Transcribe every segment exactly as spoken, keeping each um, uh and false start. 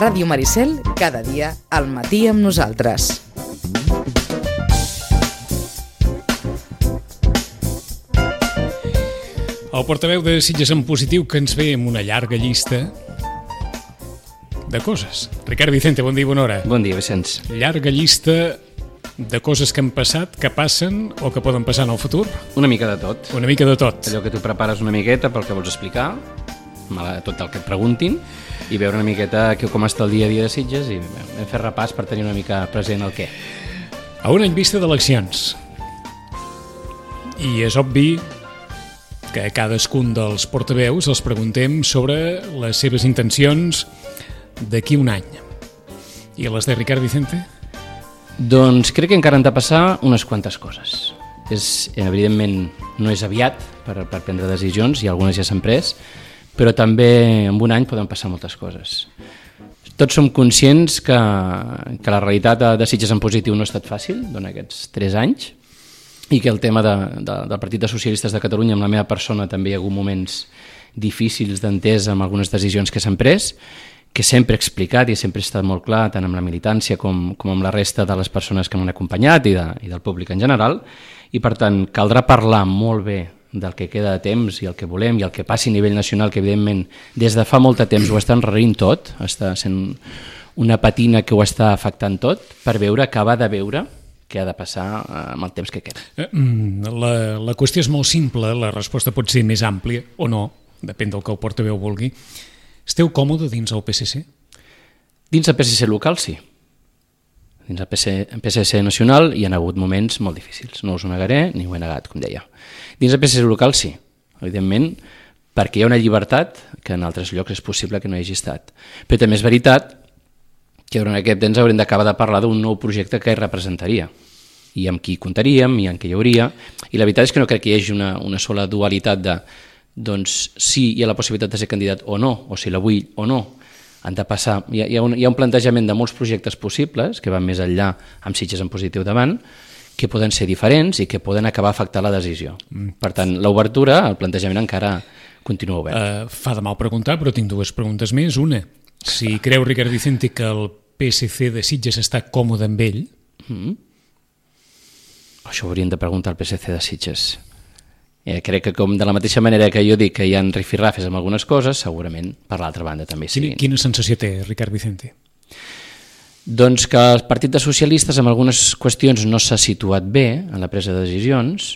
Ràdio Maricel, cada dia al matí amb nosaltres. El portaveu de Sitges en Positiu, que ens ve amb una llarga llista de coses. Ricard Vicente, bon dia i bona hora. Bon dia, Vicenç. Llarga llista de coses que han passat, que passen o que poden passar en el futur? Una mica de tot. Una mica de tot. Allò que tu prepares una miqueta pel que vols explicar, tot el que et preguntin, i veure una miqueta com està el dia a dia de Sitges i hem fet repàs per tenir una mica present el què. A un any vista d'eleccions. I és obvi que a cadascun dels portaveus els preguntem sobre les seves intencions d'aquí un any. I les de Ricard Vicente? Doncs crec que encara han de passar unes quantes coses. És, evidentment, no és aviat per, per prendre decisions, i algunes ja s'han pres, però també en un any poden passar moltes coses. Tots som conscients que, que la realitat de, de Sitges en Positiu no ha estat fàcil durant aquests tres anys, i que el tema de, de, del Partit de Socialistes de Catalunya, amb la meva persona, també hi ha hagut moments difícils d'entesa amb algunes decisions que s'han pres, que sempre he explicat i sempre he estat molt clar, tant amb la militància com, com amb la resta de les persones que m'han acompanyat i, de, i del públic en general, i per tant caldrà parlar molt bé del que queda de temps i el que volem i el que passi a nivell nacional, que evidentment des de fa molt de temps ho està enrarint tot, està sent una patina que ho està afectant tot, per veure, acabar de veure què ha de passar amb el temps que queda. La, la qüestió és molt simple, la resposta pot ser més àmplia o no, depèn del que el portaveu vulgui. Esteu còmode dins el P S C? Dins el P S C local, sí. Dins el P S C nacional hi ha hagut moments molt difícils. No us ho negaré, ni ho he negat, com deia. Dins el P S C local, sí. Evidentment, perquè hi ha una llibertat que en altres llocs és possible que no hi hagi estat. Però també és veritat que durant aquest temps haurem d'acabar de parlar d'un nou projecte que representaria, i amb qui comptaríem, i amb qui hi hauria. I la veritat és que no crec que hi hagi una, una sola dualitat de doncs sí, hi ha la possibilitat de ser candidat o no, o si la vull o no, han de passar. Hi ha, hi ha, un, hi ha un plantejament de molts projectes possibles que van més enllà amb Sitges en Positiu davant, que poden ser diferents i que poden acabar afectant la decisió. Mm. Per tant, l'obertura, el plantejament encara continua obert. Uh, fa de mal preguntar, però tinc dues preguntes més. Una, si creu Ricard Vicente que el P S C de Sitges està còmode amb ell? Mm. Això ho hauríem de preguntar al P S C de Sitges. Eh, crec que com de la mateixa manera que jo dic que hi ha rifirrafes amb algunes coses, segurament per l'altra banda també sí. Quina, quina sensació té Ricard Vicente? Doncs que el Partit de Socialistes en algunes qüestions no s'ha situat bé en la presa de decisions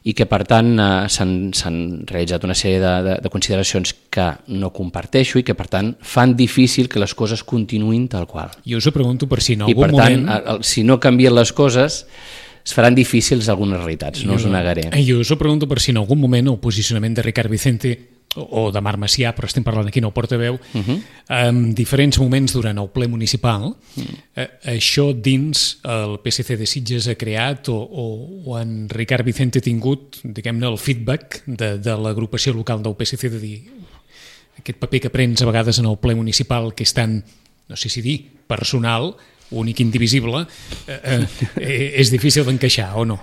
i que per tant eh, s'han, s'han realitzat una sèrie de, de, de consideracions que no comparteixo i que per tant fan difícil que les coses continuïn tal qual. Jo us ho pregunto per si en algun I per tant, moment... el, si no canvien les coses es faran difícils algunes realitats, no us ho negaré. Jo us ho pregunto per si en algun moment el posicionament de Ricard Vicente o, o de Marc Macià, però estem parlant aquí en el portaveu, uh-huh. en diferents moments durant el ple municipal, uh-huh. eh, això dins el P S C de Sitges ha creat o, o, o en Ricard Vicente ha tingut, diguem-ne, el feedback de, de l'agrupació local del P S C de dir aquest paper que prens a vegades en el ple municipal que és tan, no sé si dir, personal, únic, indivisible, eh, eh, és difícil d'encaixar, o no?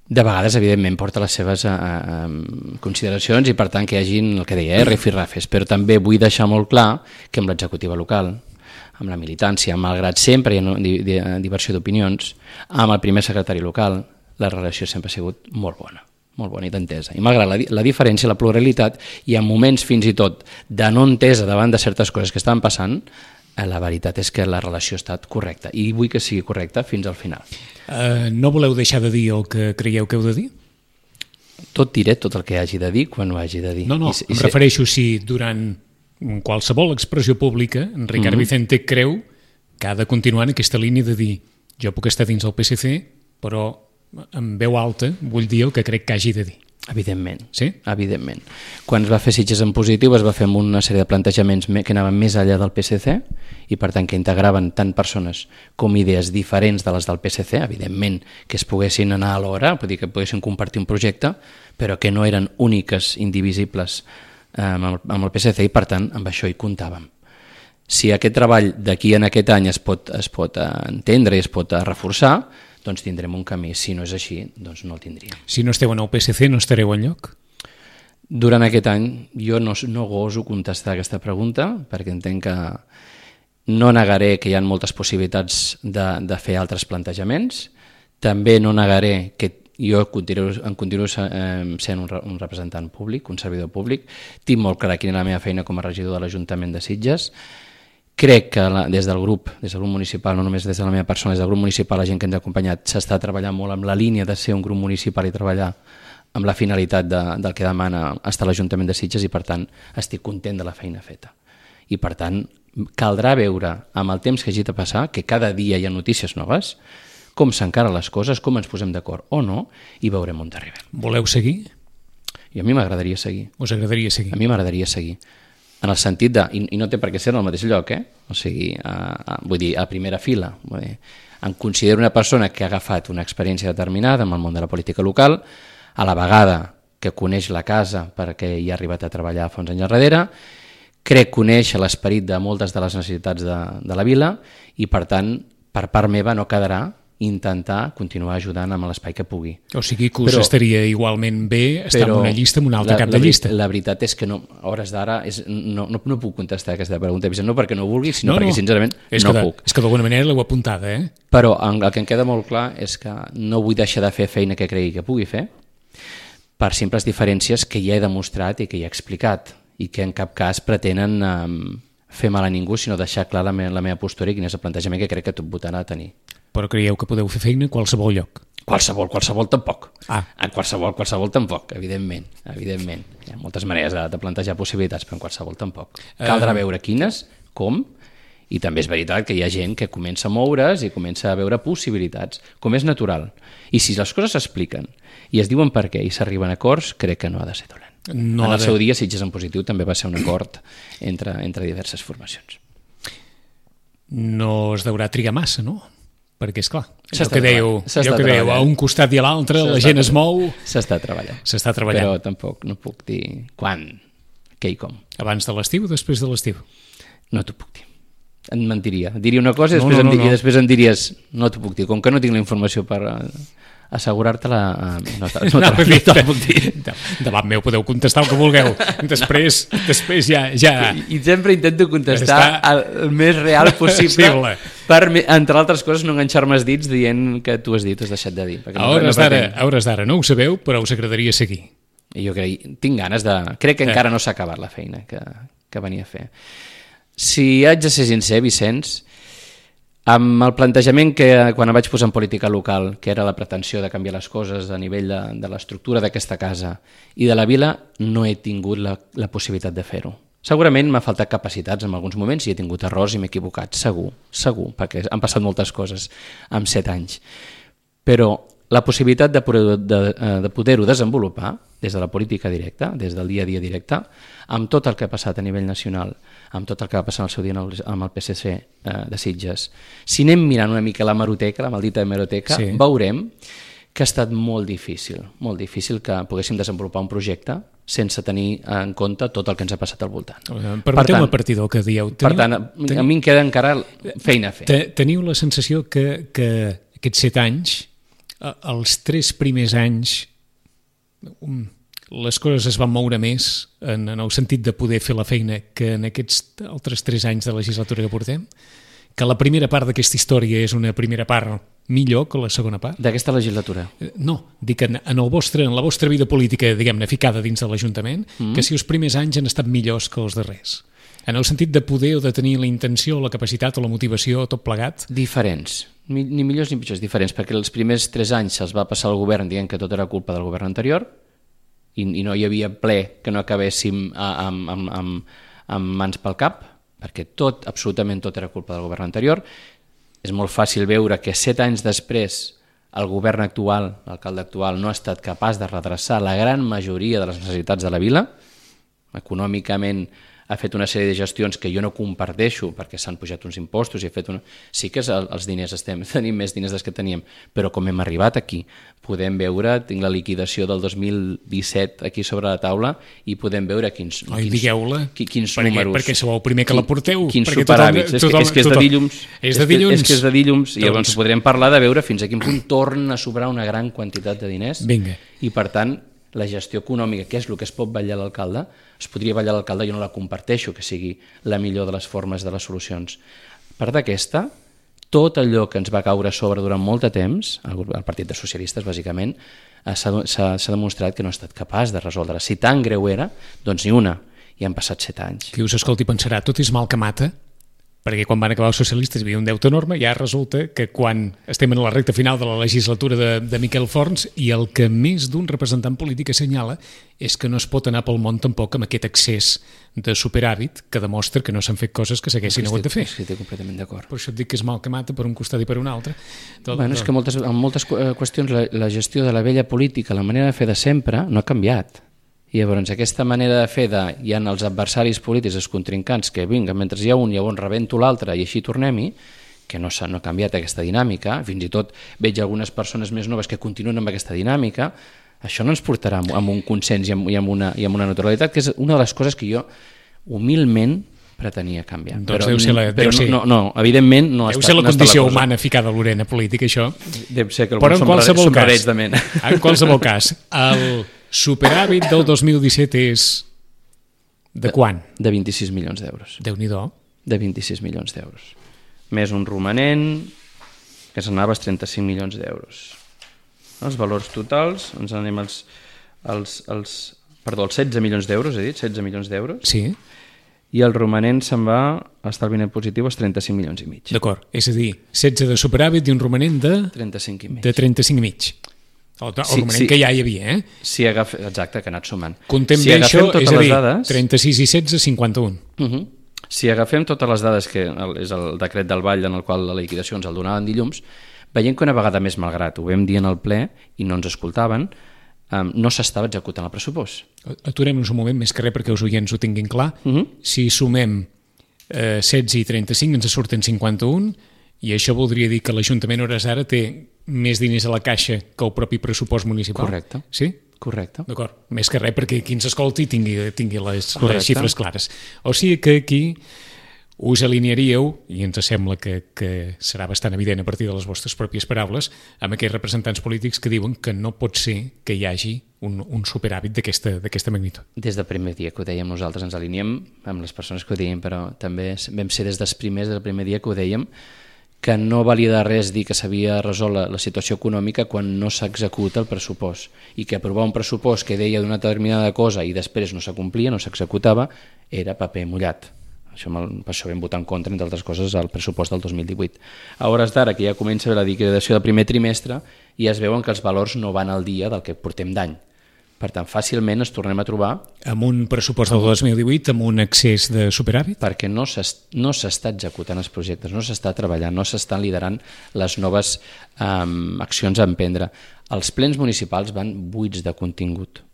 De vegades, evidentment, porta les seves eh, eh, consideracions i, per tant, que hi hagin, el que deia, eh, rifirrafes, però també vull deixar molt clar que amb l'executiva local, amb la militància, malgrat sempre hi ha di, di, diversió d'opinions, amb el primer secretari local, la relació sempre ha sigut molt bona, molt bona i d'entesa. I malgrat la, la diferència, la pluralitat, i en moments fins i tot de no entesa davant de certes coses que estaven passant, la veritat és que la relació ha estat correcta i vull que sigui correcta fins al final. Uh, no voleu deixar de dir el que creieu que heu de dir? Tot diré, tot el que hagi de dir quan ho hagi de dir. No, no, I, em i refereixo si durant qualsevol expressió pública en Ricard mm-hmm. Vicente creu que ha de continuar en aquesta línia de dir jo puc estar dins el P S C, però en veu alta vull dir el que crec que hagi de dir. Evidentment, sí? Evidentment. Quan es va fer Sitges en Positiu es va fer amb una sèrie de plantejaments que anaven més enllà del P S C i per tant que integraven tant persones com idees diferents de les del P S C, evidentment que es poguessin anar alhora, vull dir que poguessin compartir un projecte, però que no eren úniques, indivisibles eh, amb, el, amb el P S C i per tant amb això hi comptàvem. Si aquest treball d'aquí en aquest any es pot, es pot entendre i es pot reforçar, doncs tindrem un camí. Si no és així, doncs no el tindríem. Si no esteu en el P S C, no estareu enlloc? Durant aquest any jo no, no goso contestar aquesta pregunta perquè entenc que no negaré que hi ha moltes possibilitats de, de fer altres plantejaments, també no negaré que jo continuo, em continuo eh, sent un, un representant públic, un servidor públic, tinc molt clar quina és la meva feina com a regidor de l'Ajuntament de Sitges. Crec que la, des del grup, des del grup municipal, no només des de la meva persona, des del grup municipal, la gent que ens ha acompanyat, s'està treballant molt amb la línia de ser un grup municipal i treballar amb la finalitat de, del que demana estar l'Ajuntament de Sitges, i per tant estic content de la feina feta. I per tant caldrà veure amb el temps que hagi de passar, que cada dia hi ha notícies noves, com s'encaren les coses, com ens posem d'acord o no, i veurem on arribem. Voleu seguir? I a mi m'agradaria seguir. Us agradaria seguir? A mi m'agradaria seguir. En el sentit de, i, i no té per què ser en el mateix lloc, eh? O sigui, a, a, vull dir, a primera fila. Vull dir, em considero una persona que ha agafat una experiència determinada en el món de la política local, a la vegada que coneix la casa perquè hi ha arribat a treballar fa uns anys darrere, crec conèixer l'esperit de moltes de les necessitats de, de la vila, i per tant, per part meva no quedarà intentar continuar ajudant amb l'espai que pugui. O sigui que us però, estaria igualment bé estar en una llista, en un altre la, cap de llista. La, la veritat és que no, a hores d'ara no, no, no puc contestar aquesta pregunta, no perquè no vulgui, sinó no, perquè no. sincerament és no que de, puc. És que d'alguna manera l'heu apuntada, eh? Però el que em queda molt clar és que no vull deixar de fer feina que cregui que pugui fer, per simples diferències que ja he demostrat i que ja he explicat, i que en cap cas pretenen um, fer mal a ningú, sinó deixar clar la, me la meva postura i quin és el plantejament que crec que tot votant ha de tenir. Però creieu que podeu fer feina a qualsevol lloc? Qualsevol, qualsevol tampoc. Ah. En qualsevol, qualsevol tampoc, evidentment. evidentment. Hi ha moltes maneres de, de plantejar possibilitats, però en qualsevol tampoc. Caldrà veure quines, com, i també és veritat que hi ha gent que comença a moure's i comença a veure possibilitats, com és natural. I si les coses s'expliquen i es diuen per què i s'arriben a acords, crec que no ha de ser dolent. No en el de... seu dia, Sitges en Positiu també va ser un acord entre, entre diverses formacions. No es deurà trigar massa, no? Perquè, esclar, allò S'està que dèieu, allò que dèieu a un costat i a l'altre, la gent es mou... S'està treballant. S'està treballant. Però tampoc no puc dir quan, què i com. Abans de l'estiu o després de l'estiu? No t'ho puc dir. Et mentiria. Diria una cosa i després, no, no, em, no. i després em diries no t'ho puc dir. Com que no tinc la informació per assegurar-te-la, no, no, no, no te la puc dir. Davant meu podeu contestar el que vulgueu. Després, després ja... ja... I, I sempre intento contestar Està... el, el més real possible possible. per, entre altres coses, no enganxar-me els dits dient que tu has dit, has deixat de dir. A hores d'ara no, no, no ho sabeu, però us agradaria seguir. I jo crec, tinc ganes de... Crec que eh. encara no s'ha acabat la feina que, que venia a fer. Si haig de ser sincer, Vicenç, amb el plantejament que quan em vaig posar en política local, que era la pretensió de canviar les coses a nivell de, de l'estructura d'aquesta casa i de la vila, no he tingut la, la possibilitat de fer-ho. Segurament m'ha faltat capacitats en alguns moments i he tingut errors i m'he equivocat, segur, segur, perquè han passat moltes coses en set anys. Però la possibilitat de poder-ho de, de poder desenvolupar des de la política directa, des del dia a dia directe, amb tot el que ha passat a nivell nacional, amb tot el que va passar al seu dia amb el P S C eh, de Sitges. Si anem mirant una mica la hemeroteca, la maldita hemeroteca, sí. veurem que ha estat molt difícil, molt difícil que poguéssim desenvolupar un projecte sense tenir en compte tot el que ens ha passat al voltant. Permeteu-me a partir del que dieu. Teniu, per tant, teniu, a mi em queda encara feina a fer. Teniu la sensació que, que aquests set anys, els tres primers anys, les coses es van moure més en, en el sentit de poder fer la feina que en aquests altres tres anys de legislatura que portem? Que la primera part d'aquesta història és una primera part millor que la segona part? D'aquesta legislatura? No, dic en, en, el vostre, en la vostra vida política, diguem-ne, ficada dins de l'Ajuntament, mm. que si els primers anys han estat millors que els darrers. En el sentit de poder o de tenir la intenció, la capacitat o la motivació, tot plegat? Diferents. Ni millors ni pitjors, diferents, perquè els primers tres anys se'ls va passar al govern dient que tot era culpa del govern anterior i, i no hi havia ple que no acabéssim amb, amb, amb, amb mans pel cap, perquè tot, absolutament tot era culpa del govern anterior. És molt fàcil veure que set anys després el govern actual, l'alcalde actual, no ha estat capaç de redreçar la gran majoria de les necessitats de la vila. Econòmicament ha fet una sèrie de gestions que jo no comparteixo perquè s'han pujat uns impostos i ha fet una... Sí que els diners estem, tenim més diners dels que teníem, però com hem arribat aquí, podem veure, tinc la liquidació del dos mil disset aquí sobre la taula i podem veure quins, Oi, quins, digueu-la, quins perquè, números. Perquè sou el primer que la porteu. Quins superàvits. És, és que és de dilluns. És de dilluns. És que és de dilluns i llavors podrem parlar de veure fins a quin punt torna a sobrar una gran quantitat de diners. Vinga. I per tant, la gestió econòmica, que és el que es pot vetllar l'alcalde, es podria vetllar l'alcalde, jo no la comparteixo, que sigui la millor de les formes de les solucions. A part d'aquesta, tot allò que ens va caure a sobre durant molt de temps, el, el Partit dels Socialistes, bàsicament, s'ha demostrat que no ha estat capaç de resoldre. Si tan greu era, doncs ni una. I han passat set anys. Qui us escolti pensarà, tot és mal que mata, perquè quan van acabar els socialistes hi havia un deute enorme, ja resulta que quan estem en la recta final de la legislatura de, de Miquel Forns i el que més d'un representant polític assenyala és que no es pot anar pel món tampoc amb aquest excés de superàvit que demostra que no s'han fet coses que s'haguessin hagut de fer. Sí, estic completament d'acord. Per això et dic que és mal que mata per un costat i per un altre. Tot, bueno, és que moltes, en moltes qüestions la, la gestió de la vella política, la manera de fer de sempre, no ha canviat. I llavors aquesta manera de fer de, hi ha els adversaris polítics, els contrincants, que vinga, mentre hi ha un, llavors rebento l'altre i així tornem-hi, que no s'ha no ha canviat aquesta dinàmica, fins i tot veig algunes persones més noves que continuen amb aquesta dinàmica, això no ens portarà amb un consens i amb, i amb, una, i amb una neutralitat, que és una de les coses que jo humilment pretenia canviar. Doncs però deu ser la, però deu ser, no, no, evidentment no deu està, ser la no condició la humana ficada a l'orena política, això. Deu ser que però en qualsevol cas, de mena. En qualsevol cas, el superàvit del dos mil disset és de quan? De vint-i-sis milions d'euros. Déu-n'hi-do. De vint-i-sis milions d'euros. Més un romanent que s'anava als trenta-cinc milions d'euros. Els valors totals, ens anem als, als, als, perdó, als setze milions d'euros, he dit, setze milions d'euros. Sí. I el romanent se'n va a estalvi net positiu als trenta-cinc milions i mig. D'acord, és a dir, setze de superàvit i un romanent de... trenta-cinc i mig. De trenta-cinc i mig. El, el sí, romanent sí. Que ja hi havia, eh? Si agaf... Exacte, que ha anat sumant. Contem si bé això, és a dir, dades... trenta-sis i setze, cinquanta-un. Uh -huh. Si agafem totes les dades, que és el decret del Vall en el qual la liquidació ens el donaven dilluns, veiem que una vegada més, malgrat ho vam dir en el ple i no ens escoltaven, um, no s'estava executant el pressupost. Aturem-nos un moment, més que res perquè els oients ho tinguin clar. Uh -huh. Si sumem eh, setze i trenta-cinc ens surten cinquanta-un i això voldria dir que l'Ajuntament a hores d'ara té més diners a la caixa que el propi pressupost municipal. Correcte. Sí? Correcte. D'acord. Més que res perquè qui ens escolti tingui, tingui les, les xifres clares. O sigui que aquí us alinearíeu, i ens sembla que, que serà bastant evident a partir de les vostres pròpies paraules, amb aquells representants polítics que diuen que no pot ser que hi hagi un, un superàvit d'aquesta magnitud. Des del primer dia que ho dèiem nosaltres ens aliniem amb les persones que ho deien, però també vam ser des dels primers del primer dia que ho dèiem, que no valia de res dir que s'havia resolt la, la situació econòmica quan no s'executa el pressupost, i que aprovar un pressupost que deia d'una determinada cosa i després no s'acomplia, no s'executava, era paper mullat. Això, per això vam votar en contra, entre altres coses, al pressupost del dos mil divuit. A hores d'ara, que ja comença la liquidació del primer trimestre, ja es veuen que els valors no van al dia del que portem d'any. Per tant, fàcilment ens tornem a trobar... Amb un pressupost del dos mil divuit, amb un excés de superàvit? Perquè no s'està executant els projectes, no s'està treballant, no s'estan liderant les noves um, accions a emprendre. Els plens municipals van buits de contingut,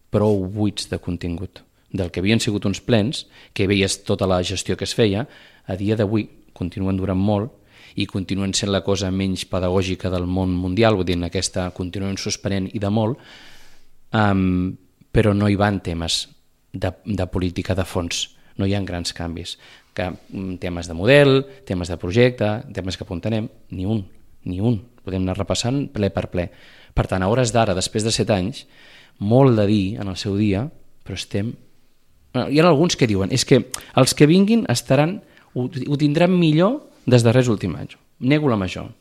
prou buits de contingut. Del que havien sigut uns plens, que veies tota la gestió que es feia, a dia d'avui continuen durant molt i continuen sent la cosa menys pedagògica del món mundial, vull dir, en aquesta continuen suspenent i de molt, Um, però no hi van temes de, de política de fons, no hi ha grans canvis, que, um, temes de model, temes de projecte, temes que apuntarem, ni un, ni un, podem anar repassant ple per ple. Per tant, a hores d'ara, després de set anys, molt de dir en el seu dia, però estem... Hi ha alguns que diuen, és que els que vinguin estaran, ho, ho tindran millor des de res últim any, nego la major.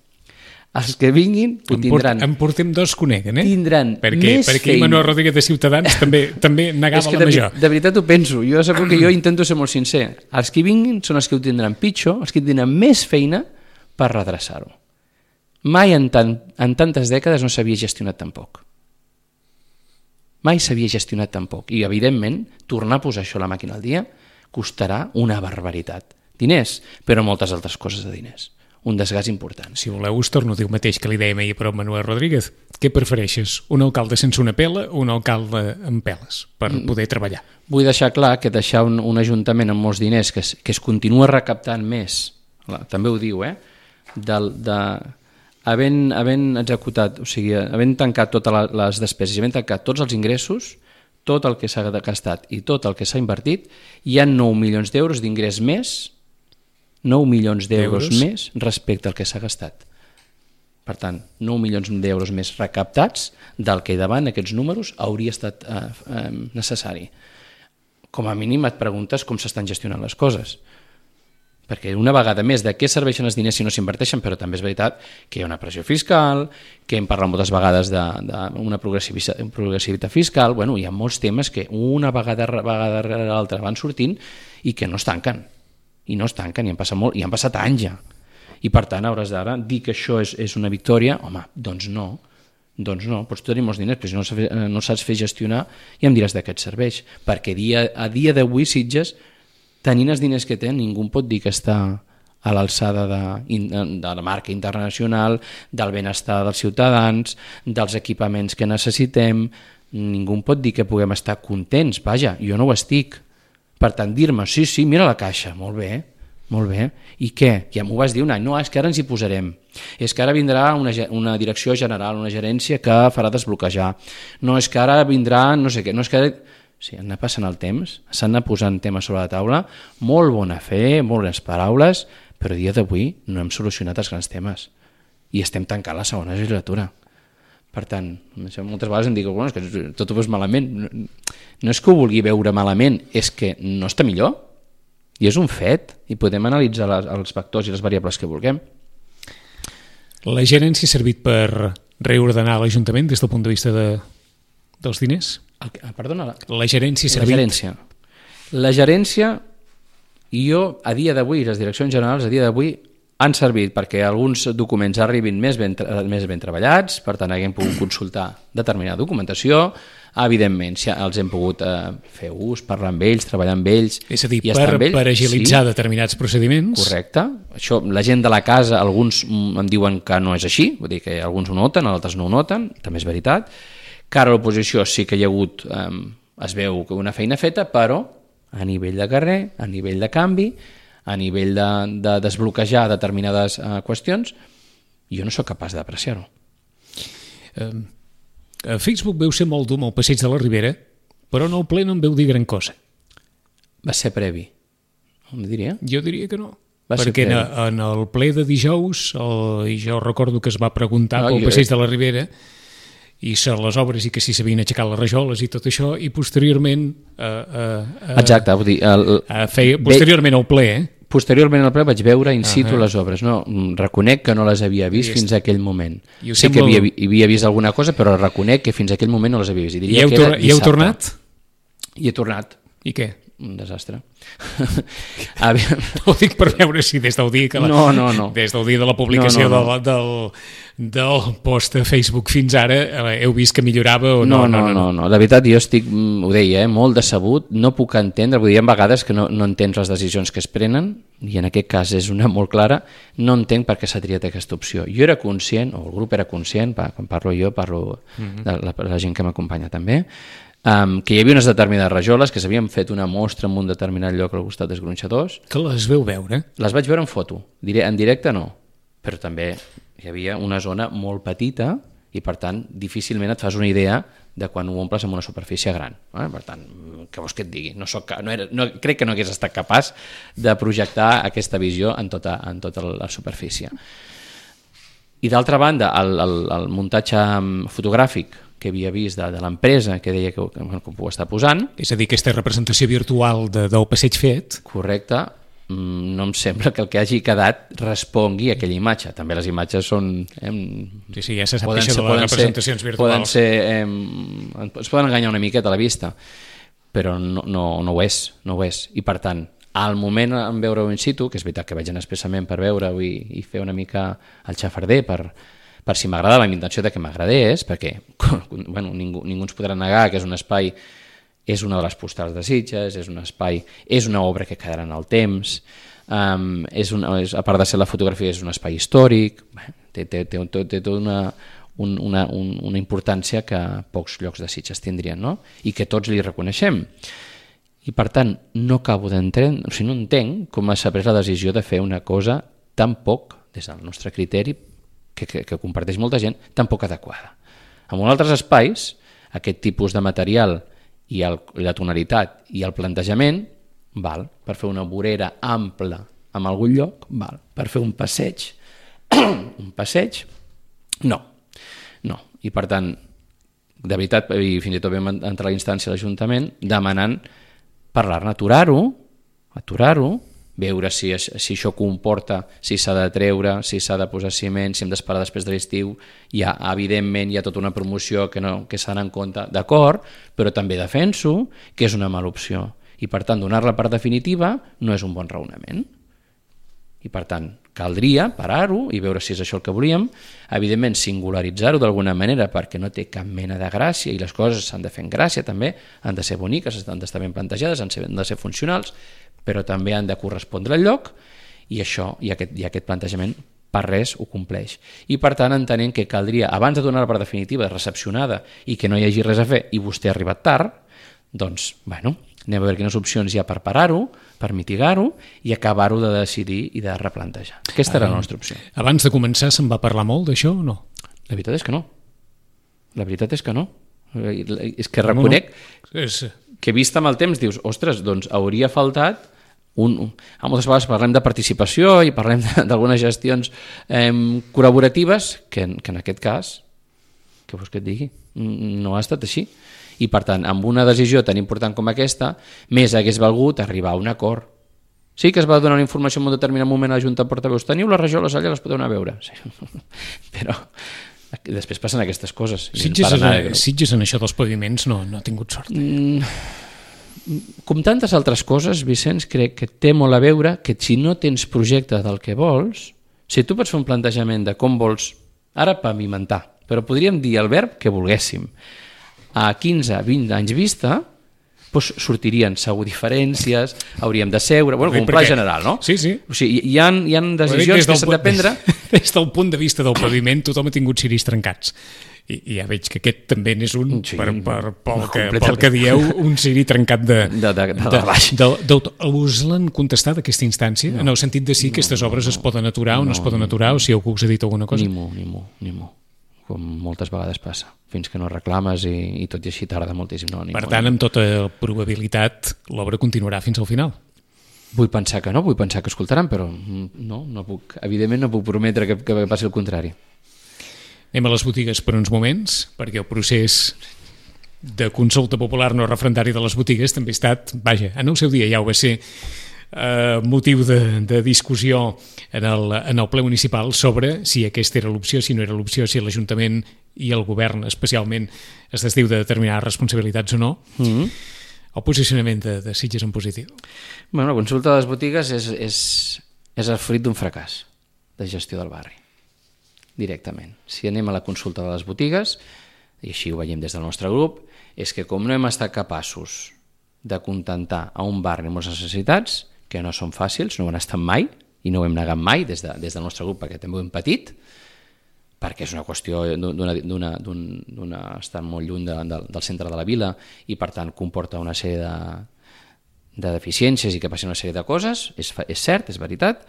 Els que vinguin ho tindran... En portem dos que ho neguen, eh? Tindran perquè, més perquè feina. Manuel Rodríguez de Ciutadans també, també negava la de, major. De veritat ho penso. Jo segur que jo intento ser molt sincer. Els que vinguin són els que ho tindran pitjor, els que tindran més feina per redreçar-ho. Mai en, tant, en tantes dècades no s'havia gestionat tan poc. Mai s'havia gestionat tan poc. I, evidentment, tornar a posar això a la màquina al dia costarà una barbaritat. Diners, però moltes altres coses de diners. Un desgast important. Si voleu, us torno a dir el mateix que li dèiem ahir per Manuel Rodríguez. Què prefereixes? Un alcalde sense una pela o un alcalde amb peles per poder treballar? Vull deixar clar que deixar un, un ajuntament amb molts diners que es, que es continua recaptant més, també ho diu, eh? Del, de, havent, havent executat, o sigui, havent tancat totes les despeses i havent tancat tots els ingressos, tot el que s'ha gastat i tot el que s'ha invertit, hi ha nou milions d'euros d'ingrés més, nou milions d'euros més respecte al que s'ha gastat. Per tant, nou milions d'euros més recaptats del que davant aquests números hauria estat eh, eh, necessari. Com a mínim et preguntes com s'estan gestionant les coses. perquè una vegada més de què serveixen els diners si no s'inverteixen, però també és veritat que hi ha una pressió fiscal, que hem parlat moltes vegades d'una progressivitat, progressivitat fiscal, bueno, hi ha molts temes que una vegada, vegada rere l'altra van sortint i que no es tanquen, i no es tanquen, i han passat, molt, i han passat anys ja, i per tant hauràs d'ara dir que això és, és una victòria, home, doncs no, doncs no, pots tenir molts diners, però si no, no saps fer gestionar ja em diràs de què et serveix, perquè dia, a dia d'avui Sitges, tenint els diners que té, ningú pot dir que està a l'alçada de, de la marca internacional, del benestar dels ciutadans, dels equipaments que necessitem, ningú pot dir que puguem estar contents, vaja, jo no ho estic. Per tant, dir-me, sí, sí, mira la caixa, molt bé, molt bé, i què? Ja m'ho vas dir un any, no, és que ara ens hi posarem, és que ara vindrà una, una direcció general, una gerència que farà desbloquejar, no, és que ara vindrà no sé què, no és que ara... Sí, han anat passant el temps, s'han anat posant temes sobre la taula, molt bona fe, molt bones paraules, però a dia d'avui no hem solucionat els grans temes i estem tancant la segona legislatura. Per tant, moltes vegades em dic bueno, és que tot ho veus malament. No és que ho vulgui veure malament, és que no està millor i és un fet i podem analitzar les, els vectors i les variables que vulguem. La gerència ha servit per reordenar l'Ajuntament des del punt de vista de, dels diners? El, perdona, la, la gerència ha servit... La gerència. La gerència, jo a dia d'avui, les direccions generals a dia d'avui han servit perquè alguns documents arribin més ben, més ben treballats, per tant haguem pogut consultar determinada documentació, evidentment si els hem pogut eh, fer ús, parlar amb ells, treballar amb ells... És a dir, per, amb ells, per agilitzar sí, determinats procediments. Correcte. Això, la gent de la casa, alguns em diuen que no és així, vull dir que alguns ho noten, altres no ho noten, també és veritat. Cara a l'oposició sí que hi ha hagut, eh, es veu que una feina feta, però a nivell de carrer, a nivell de canvi, a nivell de, de desbloquejar determinades eh, qüestions, jo no sóc capaç d'apreciar-ho. Eh, a Facebook veu ser molt dur amb el passeig de la Ribera, però en el ple no em veu dir gran cosa. Va ser previ, em diria? Jo diria que no. Va perquè en, en el ple de dijous, el, jo recordo que es va preguntar no, pel passeig jo... de la Ribera i ser les obres i que si s'havien aixecat les rajoles i tot això, i posteriorment eh, eh, exacte, vull dir el, eh, feia, posteriorment al ple eh? posteriorment al ple vaig veure in situ uh -huh. les obres, no, reconec que no les havia vist fins a aquell moment, sé sembla... que havia, havia vist alguna cosa però reconec que fins a aquell moment no les havia vist. I, I heu, que tor i heu tornat? I he tornat. I què? Un desastre. No ho dic per veure si des del dia que la, no, no, no. des del dia de la publicació no, no, no. Del, del, del post a Facebook fins ara heu vist que millorava o no? No, no, no, no, no. La veritat jo estic, ho deia, eh, molt decebut, no puc entendre, vull dir, hi ha vegades que no, no entens les decisions que es prenen i en aquest cas és una molt clara, no entenc per què s'ha triat aquesta opció. Jo era conscient, o el grup era conscient, quan parlo jo, parlo uh-huh. de la, la gent que m'acompanya també, Um, que hi havia unes determinades rajoles que s'havien fet una mostra en un determinat lloc al costat dels gronxadors. Que les veu veure? Les vaig veure en foto, diré, en directe no, però també hi havia una zona molt petita i per tant difícilment et fas una idea de quan ho omples amb una superfície gran. Eh? Per tant, què vols que et digui? No soc, no era, no, crec que no hagués estat capaç de projectar aquesta visió en tota, en tota la superfície. I d'altra banda, el, el, el muntatge fotogràfic que havia vist de, de l'empresa, que deia que, que, que ho està posant. És a dir, aquesta representació virtual de, del passeig fet. Correcte. No em sembla que el que hagi quedat respongui a aquella imatge. També les imatges són... Eh, sí, sí, ja se sap això de les representacions ser, virtuals. Poden ser... Eh, es poden enganyar una miqueta a la vista, però no, no, no ho és, no ho és. I per tant, al moment en veure-ho in situ, que és veritat que vaig anar expressament per veure-ho i, i fer una mica el xafarder per... per si m'agradava, la intenció de que m'agradés, perquè bueno, ningú, ningú ens podrà negar que és un espai, és una de les postals de Sitges, és un espai, és una obra que quedarà en el temps, um, és una, és, a part de ser la fotografia, és un espai històric, té, té, té, té, té tota una, un, una, un, una importància que pocs llocs de Sitges tindrien, no? I que tots li reconeixem. I per tant, no acabo d'entendre, o sigui, no entenc com s'ha pres la decisió de fer una cosa tan poc, des del nostre criteri, Que, que, que comparteix molta gent, tan poc adequada. En altres espais, aquest tipus de material i, el, i la tonalitat i el plantejament val per fer una vorera ampla en algun lloc, val per fer un passeig, un passeig, no, no. I per tant, de veritat, i fins i tot vam entrar a la instància de l'Ajuntament demanant parlar-ne, aturar-ho, aturar-ho, veure si, si això comporta, si s'ha de treure, si s'ha de posar ciment, si hem d'esperar després de l'estiu. Hi ha, evidentment, hi ha tota una promoció que, no, que s'ha d'anar en compte, d'acord, però també defenso que és una mala opció. I, per tant, donar-la per definitiva no és un bon raonament. I, per tant, caldria parar-ho i veure si és això el que volíem, evidentment singularitzar-ho d'alguna manera perquè no té cap mena de gràcia i les coses s'han de fer en gràcia també, han de ser boniques, han d'estar ben plantejades, han de ser funcionals, però també han de correspondre al lloc i això, i aquest, i aquest plantejament per res ho compleix. I per tant entenent que caldria, abans de donar-la per definitiva, recepcionada i que no hi hagi res a fer i vostè ha arribat tard, doncs, bueno, anem a veure quines opcions hi ha per parar-ho, per mitigar-ho i acabar-ho de decidir i de replantejar. Aquesta era la nostra opció. Abans de començar se'n va parlar molt d'això o no? La veritat és que no. La veritat és que no. És que reconec no, no. És... que vist amb el temps dius, ostres, doncs hauria faltat un... un... A moltes vegades parlem de participació i parlem d'algunes gestions eh, col·laboratives que, que en aquest cas, què vols que et digui? No ha estat així. I, per tant, amb una decisió tan important com aquesta, més hagués valgut arribar a un acord. Sí que es va donar una informació en un determinat moment a la Junta de Portaveus. Teniu la regió, les alles, les podeu anar a veure. Sí. Però després passen aquestes coses. Sitges, en, Sitges en això dels paviments no, no ha tingut sort. Mm, com tantes altres coses, Vicenç, crec que té molt a veure que si no tens projecte del que vols, si tu pots fer un plantejament de com vols, ara pavimentar, però podríem dir el verb que volguéssim, a quinze a vint anys vista, doncs sortirien segur diferències, hauríem de seure, bueno, com un pla general, no? Sí, sí. O sigui, hi ha, hi ha decisions que s'han de prendre... Des del punt de vista del paviment, tothom ha tingut ciris trencats. I, i ja veig que aquest també n'és un, sí, per, per, pel, que, pel que dieu, un ciri trencat de... De, de, de, de baix. De, de, de, us l'han contestat, aquesta instància? No. En el sentit de si no, aquestes obres no, es poden aturar o no, no es poden aturar, o si algú us ha dit alguna cosa? Ni mu, ni mu, ni mu. Com moltes vegades passa, fins que no reclames i, i tot i així tarda moltíssim. No, per tant, amb tota probabilitat, l'obra continuarà fins al final. Vull pensar que no, vull pensar que escoltaran, però no, no puc, evidentment no puc prometre que, que passi el contrari. Anem a les botigues per uns moments, perquè el procés de consulta popular no referendari de les botigues també ha estat, vaja, en el seu dia ja ho va ser, Uh, motiu de, de discussió en el, en el ple municipal sobre si aquesta era l'opció, si no era l'opció, si l'Ajuntament i el govern especialment es desdiu de determinades responsabilitats o no. Mm-hmm. El posicionament de, de Sitges en positiu. Bueno, la consulta de les botigues és, és, és el fruit d'un fracàs de gestió del barri, directament. Si anem a la consulta de les botigues, i així ho veiem des del nostre grup, és que com no hem estat capaços de contentar a un barri amb les necessitats, que no són fàcils, no ho han estat mai, i no ho hem negat mai des, de, des del nostre grup, perquè també ho hem patit, perquè és una qüestió d'una estar molt lluny de, de, del centre de la vila i, per tant, comporta una sèrie de, de deficiències i que passin una sèrie de coses, és, és cert, és veritat.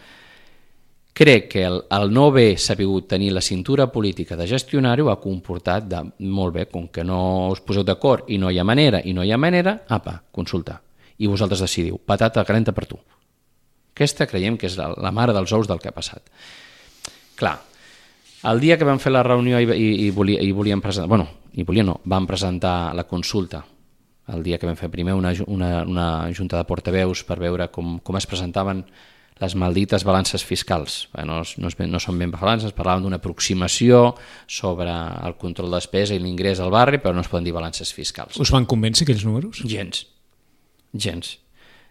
Crec que el, el no haver sabut tenir la cintura política de gestionar-ho ha comportat de, molt bé, com que no us poseu d'acord i no hi ha manera, i no hi ha manera, apa, consulta. I vosaltres decidiu, patata calenta per tu. Aquesta creiem que és la, la mare dels ous del que ha passat. Clar, el dia que vam fer la reunió i, i, i, volia, i volíem presentar, bueno, i volíem no, vam presentar la consulta, el dia que vam fer primer una, una, una junta de portaveus per veure com, com es presentaven les maldites balances fiscals. No, no, no són ben balances, parlaven d'una aproximació sobre el control de despesa i l'ingrés al barri, però no es poden dir balances fiscals. Us van convèncer aquells números? Gens. Gens,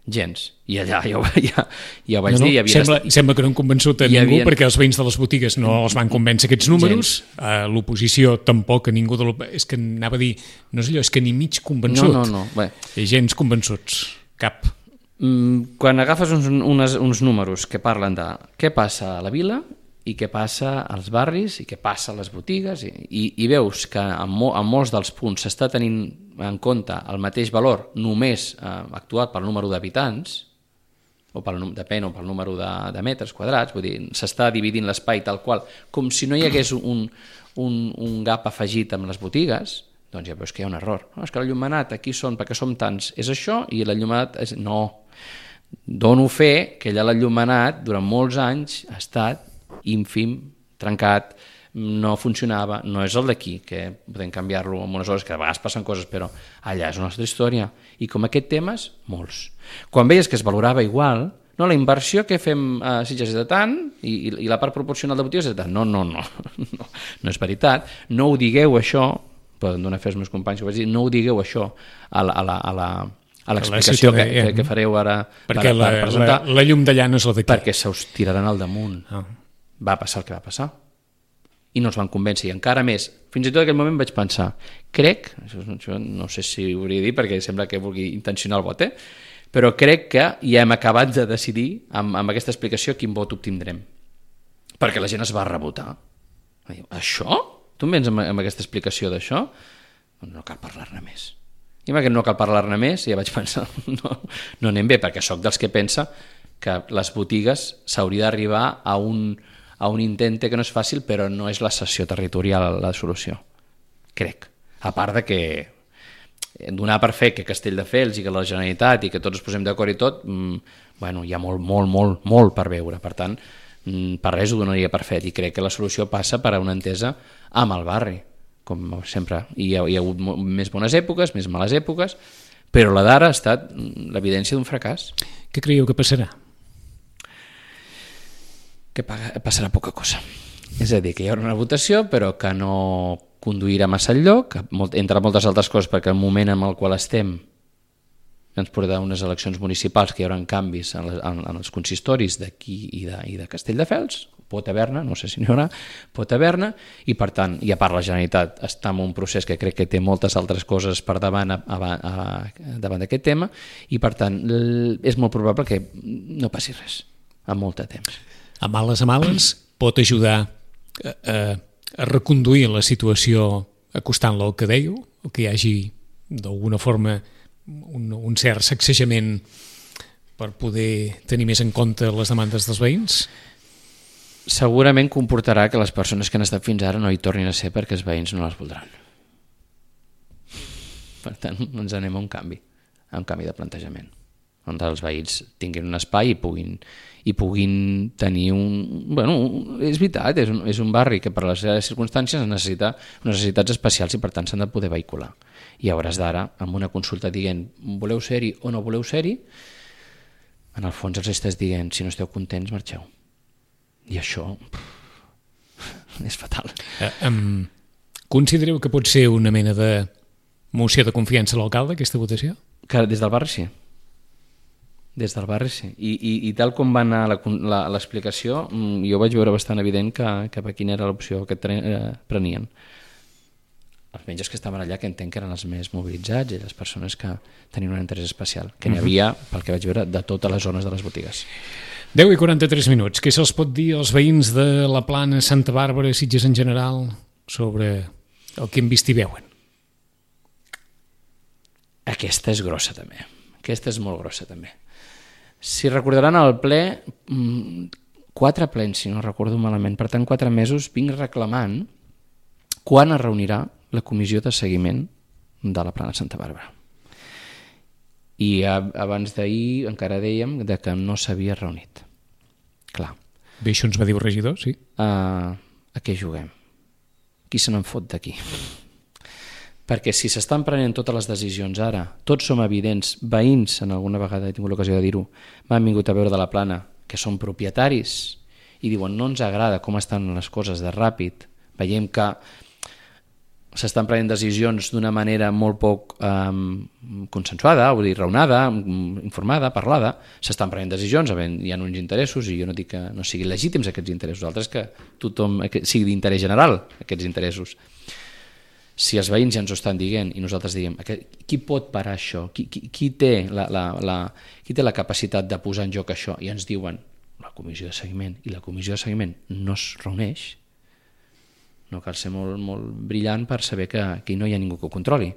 gens. I allà ja, ja, ja ho vaig no, no, dir. Havia sembla, estat... sembla que no han convençut a ningú havien... perquè els veïns de les botigues no els van convèncer aquests números, a l'oposició tampoc, a ningú de l'oposició. És que anava a dir, no és allò, és que ni mig convençut. No, no, no. Bé. I gens convençuts, cap. Mm, quan agafes uns, unes, uns números que parlen de què passa a la vila i què passa als barris i què passa a les botigues i, i, i veus que en, mo, en molts dels punts s'està tenint en compte el mateix valor només eh, actuat pel número d'habitants o pel, depèn, o pel número de, de metres quadrats, vull dir, s'està dividint l'espai tal qual, com si no hi hagués un, un, un gap afegit amb les botigues, doncs ja veus que hi ha un error. No, és que l'enllumenat aquí són, perquè som tants, és això, i l'enllumenat és... No, dono fe que allà l'enllumenat durant molts anys ha estat ínfim, trencat, no funcionava, no és el d'aquí, que podem canviar-lo en unes hores, que a vegades passen coses, però allà és una altra història. I com aquest temes, molts. Quan veies que es valorava igual, no, la inversió que fem a Sitges és de tant i, i la part proporcional de botigues és de tant. No, no, no, no, no és veritat. No ho digueu això, poden donar fer els meus companys que ho vaig dir, no ho digueu això a la, a la, a la, a l'explicació que, que, que fareu ara perquè per, la, per presentar. La, la llum d'allà no és la d'aquí. Perquè se us tiraran al damunt. Ah. Va passar el que va passar. I no els van convèncer, i encara més. Fins i tot en aquell moment vaig pensar, crec, això, això no sé si ho hauria de dir perquè sembla que vulgui intencionar el vot, eh? Però crec que ja hem acabat de decidir amb, amb aquesta explicació quin vot obtindrem. Perquè la gent es va rebotar. Diu, això? Tu em vens amb, amb aquesta explicació d'això? No cal parlar-ne més. I amb aquest no cal parlar-ne més, ja vaig pensar, no, no anem bé, perquè sóc dels que pensa que les botigues s'hauria d'arribar a un... a un intente que no és fàcil, però no és la cessió territorial la solució, crec. A part de que donar per fer que Castelldefels i que la Generalitat i que tots ens posem d'acord i tot, mmm, bueno, hi ha molt, molt, molt, molt per veure. Per tant, mmm, per res ho donaria per fet i crec que la solució passa per a una entesa amb el barri, com sempre. I hi ha, hi ha hagut més bones èpoques, més males èpoques, però la d'ara ha estat l'evidència d'un fracàs. Què creieu que passarà? Que passarà poca cosa. És a dir, que hi haurà una votació però que no conduirà massa enlloc, entre moltes altres coses, perquè el moment en el qual estem ens portarà unes eleccions municipals que hi haurà canvis en, les, en, en els consistoris d'aquí i de, i de Castelldefels, pot haver-ne, no sé si n'hi haurà, pot haver-ne, i per tant, i a part la Generalitat està en un procés que crec que té moltes altres coses per davant, a, a, a, davant d'aquest tema, i per tant és molt probable que no passi res en molt de temps. A males a males pot ajudar a, a, a reconduir la situació acostant-la al que dèieu, o que hi hagi d'alguna forma un, un cert sacsejament per poder tenir més en compte les demandes dels veïns? Segurament comportarà que les persones que han estat fins ara no hi tornin a ser perquè els veïns no les voldran. Per tant, ens anem a un canvi, a un canvi de plantejament, on els veïns tinguin un espai i puguin, i puguin tenir un... Bueno, és veritat, és un, és un barri que per les circumstàncies necessita unes necessitats especials i per tant s'han de poder vehicular. I a hores d'ara, amb una consulta dient voleu ser-hi o no voleu ser-hi, en el fons els estàs dient si no esteu contents, marxeu. I això pff, és fatal. Eh, um, considereu que pot ser una mena de moció de confiança a l'alcalde, aquesta votació? Que des del barri sí. Des del barri sí. I, i, i tal com va anar l'explicació, jo vaig veure bastant evident que, que quina era l'opció que tre, eh, prenien. Els metges que estaven allà, que entenc que eren els més mobilitzats i les persones que tenien un interès especial, que n'hi havia, pel que vaig veure, de totes les zones de les botigues. deu i quaranta-tres minuts. Què se'ls pot dir als veïns de la Plana, Santa Bàrbara, Sitges en general, sobre el que hem vist i veuen? Aquesta és grossa també. Aquesta és molt grossa també. Si recordaran el ple, quatre plens, si no recordo malament, per tant quatre mesos vinc reclamant quan es reunirà la comissió de seguiment de la Plana Santa Bàrbara. I abans d'ahir encara dèiem de que no s'havia reunit. Clar. Bé, això ens va dir el regidor, sí. Uh, a què juguem? Qui se n'en fot d'aquí? Perquè si s'estan prenent totes les decisions ara, tots som evidents, veïns, en alguna vegada he tingut l'ocasió de dir-ho, m'han vingut a veure de la Plana, que són propietaris, i diuen no ens agrada com estan les coses de ràpid, veiem que s'estan prenent decisions d'una manera molt poc um, consensuada, vull dir, raonada, informada, parlada, s'estan prenent decisions, hi ha uns interessos, i jo no dic que no siguin legítims aquests interessos, altres que tothom sigui d'interès general, aquests interessos. Si els veïns ja ens ho estan dient i nosaltres diem qui pot parar això? Qui, qui, qui, té la, la, la, qui té la capacitat de posar en joc això? I ens diuen la comissió de seguiment, i la comissió de seguiment no es reuneix. No cal ser molt, molt brillant per saber que aquí no hi ha ningú que ho controli.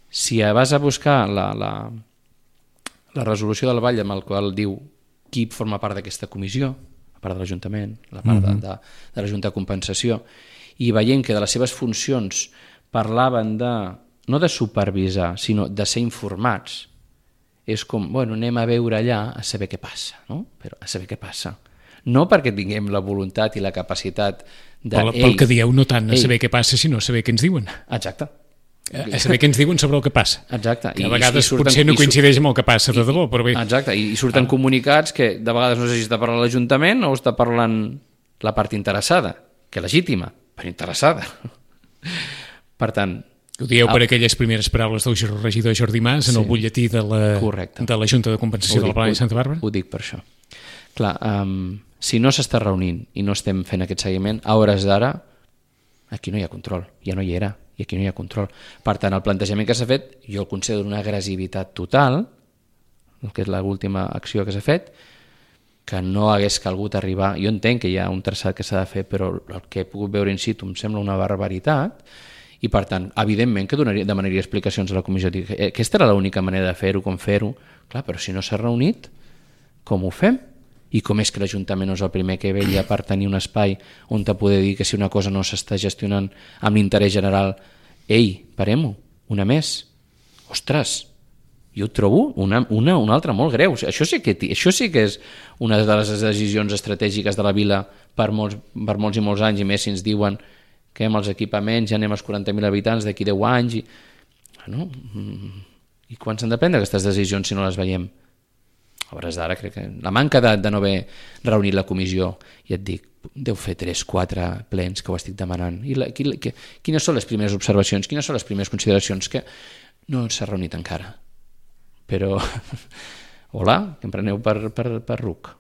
Si vas a buscar la, la, la resolució del Vall amb el qual diu qui forma part d'aquesta comissió, a part de l'Ajuntament, la part mm-hmm. de, de, de la Junta de Compensació, i veient que de les seves funcions parlaven de, no de supervisar, sinó de ser informats, és com, bueno, anem a veure allà a saber què passa, no? Però a saber què passa. No perquè tinguem la voluntat i la capacitat de... Pel, pel que dieu, no tant a ei, saber què passa, sinó a saber què ens diuen. Exacte. a saber què ens diuen sobre el que passa. Exacte. Que a vegades I, i surten, potser no coincideix amb el que passa de debò, però bé. Exacte, i surten ah. comunicats que de vegades no sé si està parlant l'Ajuntament o està parlant la part interessada, que legítima, però interessada. Per tant... Ho dieu per aquelles primeres paraules del regidor Jordi Mas en sí. el butlletí de la, de la Junta de Compensació dic, de la Plana de Santa Bàrbara? Ho dic per això. Clar, um, si no s'està reunint i no estem fent aquest seguiment, a hores d'ara, aquí no hi ha control, ja no hi era, i aquí no hi ha control. Per tant, el plantejament que s'ha fet, jo el considero una agressivitat total, el que és l'última acció que s'ha fet, que no hagués calgut arribar... Jo entenc que hi ha un traçat que s'ha de fer, però el que he pogut veure in situ em sembla una barbaritat, i per tant, evidentment que donaria, demanaria explicacions a la comissió. Dic, aquesta era l'única manera de fer-ho, com fer-ho. Clar, però si no s'ha reunit, com ho fem? I com és que l'Ajuntament no és el primer que vella per tenir un espai on te poder dir que si una cosa no s'està gestionant amb l'interès general, ei, parem-ho, una més. Ostres, jo ho trobo una, una, una altra molt greu. Això sí, que, això sí que és una de les decisions estratègiques de la vila per molts, per molts i molts anys, i més si ens diuen que amb els equipaments ja anem als quaranta mil habitants d'aquí deu anys i... Bueno, i quan s'han de prendre aquestes decisions si no les veiem? A hores d'ara crec que la manca de, de no haver reunit la comissió, i et dic, deu fer tres, quatre plens que ho estic demanant. I la, qui, que, quines són les primeres observacions, quines són les primeres consideracions? Que no s'ha reunit encara. Però, hola, que em preneu per, per, per ruc.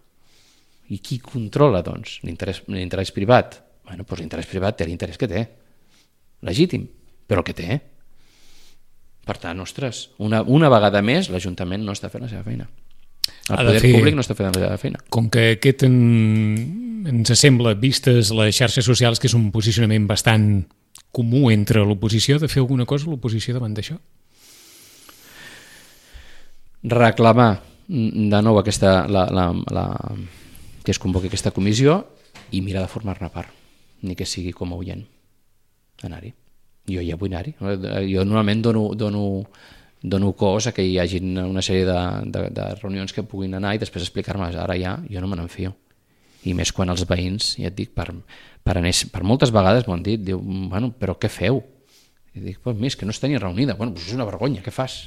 I qui controla, doncs? L'interès privat? Bueno, doncs l'interès privat té l'interès que té. Legítim, però el que té. Per tant, ostres, una, una vegada més l'Ajuntament no està fent la seva feina. El poder fer, públic no està fent la seva feina. Com que aquest en, ens sembla, vistes les xarxes socials, que és un posicionament bastant comú entre l'oposició, de fer alguna cosa l'oposició davant d'això? Reclamar de nou aquesta, la, la, la, que es convoqui aquesta comissió i mirar de formar-ne part, ni que sigui com a oient, anar-hi. Jo ja vull anar-hi. Jo normalment dono, dono, dono cos a que hi hagi una sèrie de, de, de reunions que puguin anar i després explicar-me. Ara ja, jo no me n'enfio. I més quan els veïns, ja et dic, per, per, anar, per moltes vegades m'ho han dit, diu, bueno, però què feu? I dic, pues, més que no està ni reunida. Bueno, pues és una vergonya, què fas?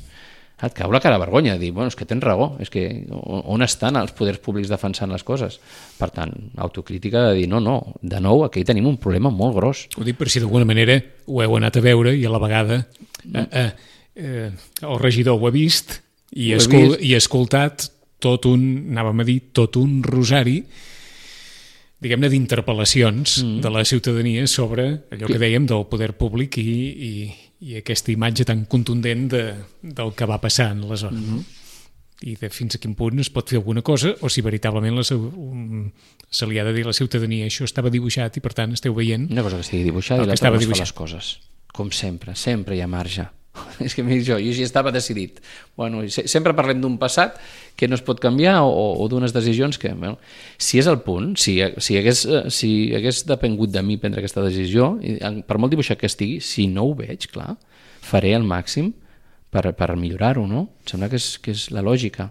Et cau la cara de vergonya, dir, bueno, és que tens raó, és que on estan els poders públics defensant les coses? Per tant, autocrítica de dir, no, no, de nou, aquí tenim un problema molt gros. Ho dic per si d'alguna manera ho heu anat a veure i a la vegada eh, eh, eh, el regidor ho ha vist i ha escol i escoltat tot un, anàvem a dir, tot un rosari, diguem-ne, d'interpel·lacions mm. de la ciutadania sobre allò que dèiem del poder públic i, i, i aquesta imatge tan contundent de, del que va passar en la zona. Mm-hmm. I de fins a quin punt es pot fer alguna cosa o si veritablement la, um, se li ha de dir a la ciutadania això estava dibuixat i per tant esteu veient una cosa que estigui dibuixat i l'altra no es fa les coses. Com sempre, sempre hi ha marge. És que jo, jo ja estava decidit. Bueno, sempre parlem d'un passat que no es pot canviar o, o d'unes decisions que, bueno, si és el punt, si, si, hagués, si hagués depengut de mi prendre aquesta decisió, per molt dibuixat que estigui, si no ho veig, clar, faré el màxim per, per millorar-ho, no? Em sembla que és, que és la lògica.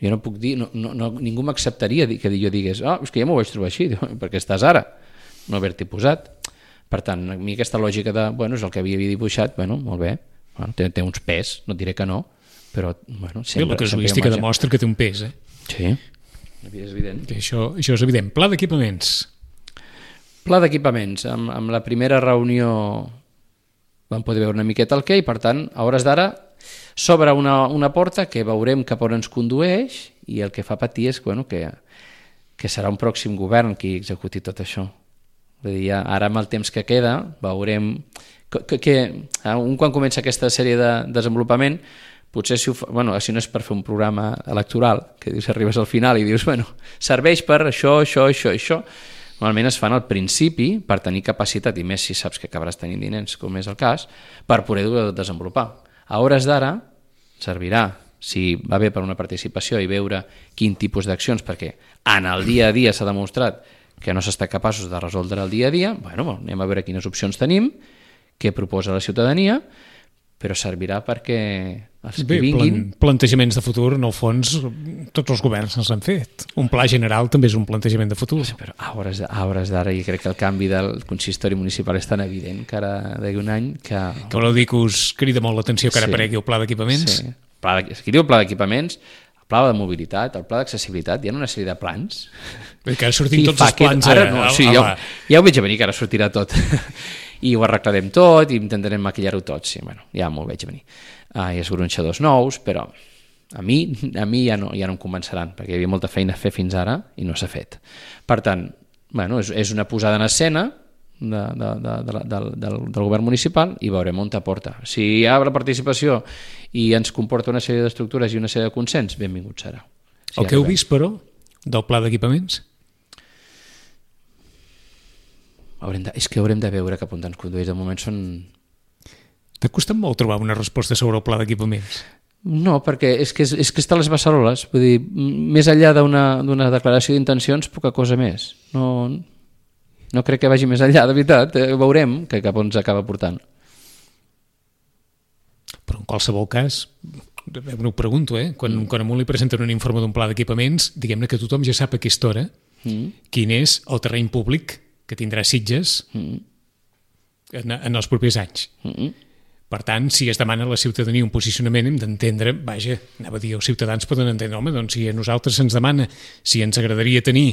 Jo no puc dir, no, no, no, ningú m'acceptaria que jo digués, ah, és que ja m'ho vaig trobar així, perquè estàs ara, no haver-t'hi posat. Per tant, a mi aquesta lògica de, bueno, és el que havia dibuixat, bueno, molt bé, bueno, té, té uns pes, no et diré que no, però, bueno, sempre... La casuística demostra que té un pes, eh? Sí, és evident. Que això, això és evident. Pla d'equipaments. Pla d'equipaments. Amb, amb la primera reunió vam poder veure una miqueta el què i, per tant, a hores d'ara s'obre una, una porta que veurem cap on ens condueix i el que fa patir és, bueno, que, que serà un pròxim govern qui executi tot això. Vull dir, ara amb el temps que queda veurem que, que un quan comença aquesta sèrie de desenvolupament potser si, ho fa, bueno, si no és per fer un programa electoral que dius, arribes al final i dius, bueno, serveix per això, això, això, això, normalment es fan al principi per tenir capacitat i més si saps que acabaràs tenint diners, com és el cas, per poder desenvolupar. A hores d'ara servirà si va bé per una participació i veure quin tipus d'accions, perquè en el dia a dia s'ha demostrat que no s'està capaços de resoldre el dia a dia, bueno, anem a veure quines opcions tenim, què proposa la ciutadania, però servirà perquè els que Bé, vinguin... plan, plantejaments de futur, en el fons, tots els governs els han fet. Un pla general també és un plantejament de futur. Però a hores, a hores d'ara, i crec que el canvi del consistori municipal és tan evident que ara d'aquí un any que... Que voleu dir que us crida molt l'atenció que ara Sí. aparegui el pla d'equipaments? Sí. Pla de, aquí diu el pla d'equipaments, el pla de mobilitat, el pla d'accessibilitat, hi ha una sèrie de plans. Vull dir que ara sortim I tots fa els plans que, ara a, no, a, sí, a ja, la... ja ho veig a venir, que ara sortirà tot. I ho arreglarem tot i intentarem maquillar-ho tot. Sí, bueno, ja m'ho veig a venir. Uh, hi ha esgronxadors nous, però a mi, a mi ja, no, ja no em convenceran, perquè hi havia molta feina a fer fins ara i no s'ha fet. Per tant, bueno, és, és una posada en escena de, de, de, de, del, del, del govern municipal i veurem on t'aporta. Si hi ha la participació i ens comporta una sèrie d'estructures i una sèrie de consens, benvingut serà. Si El que heu vist, però, del pla d'equipaments? Haurem de, és que haurem de veure cap on ens condueix. De moment són... T'ha costat molt trobar una resposta sobre el pla d'equipaments? No, perquè és que, és, és que està a les beceroles. Vull dir, més enllà d'una declaració d'intencions, poca cosa més. No, no crec que vagi més enllà, de veritat. Eh, veurem que cap on s'acaba portant. Però en qualsevol cas, m'ho pregunto, eh? Quan, mm. quan a un li presenten un informe d'un pla d'equipaments, diguem-ne que tothom ja sap a aquesta hora mm. quin és el terreny públic que tindrà Sitges mm. en, en els propers anys. Mm. Per tant, si es demana a la ciutadania un posicionament, hem d'entendre, vaja, anava a dir, els ciutadans poden entendre, home, doncs si a nosaltres se'ns demana si ens agradaria tenir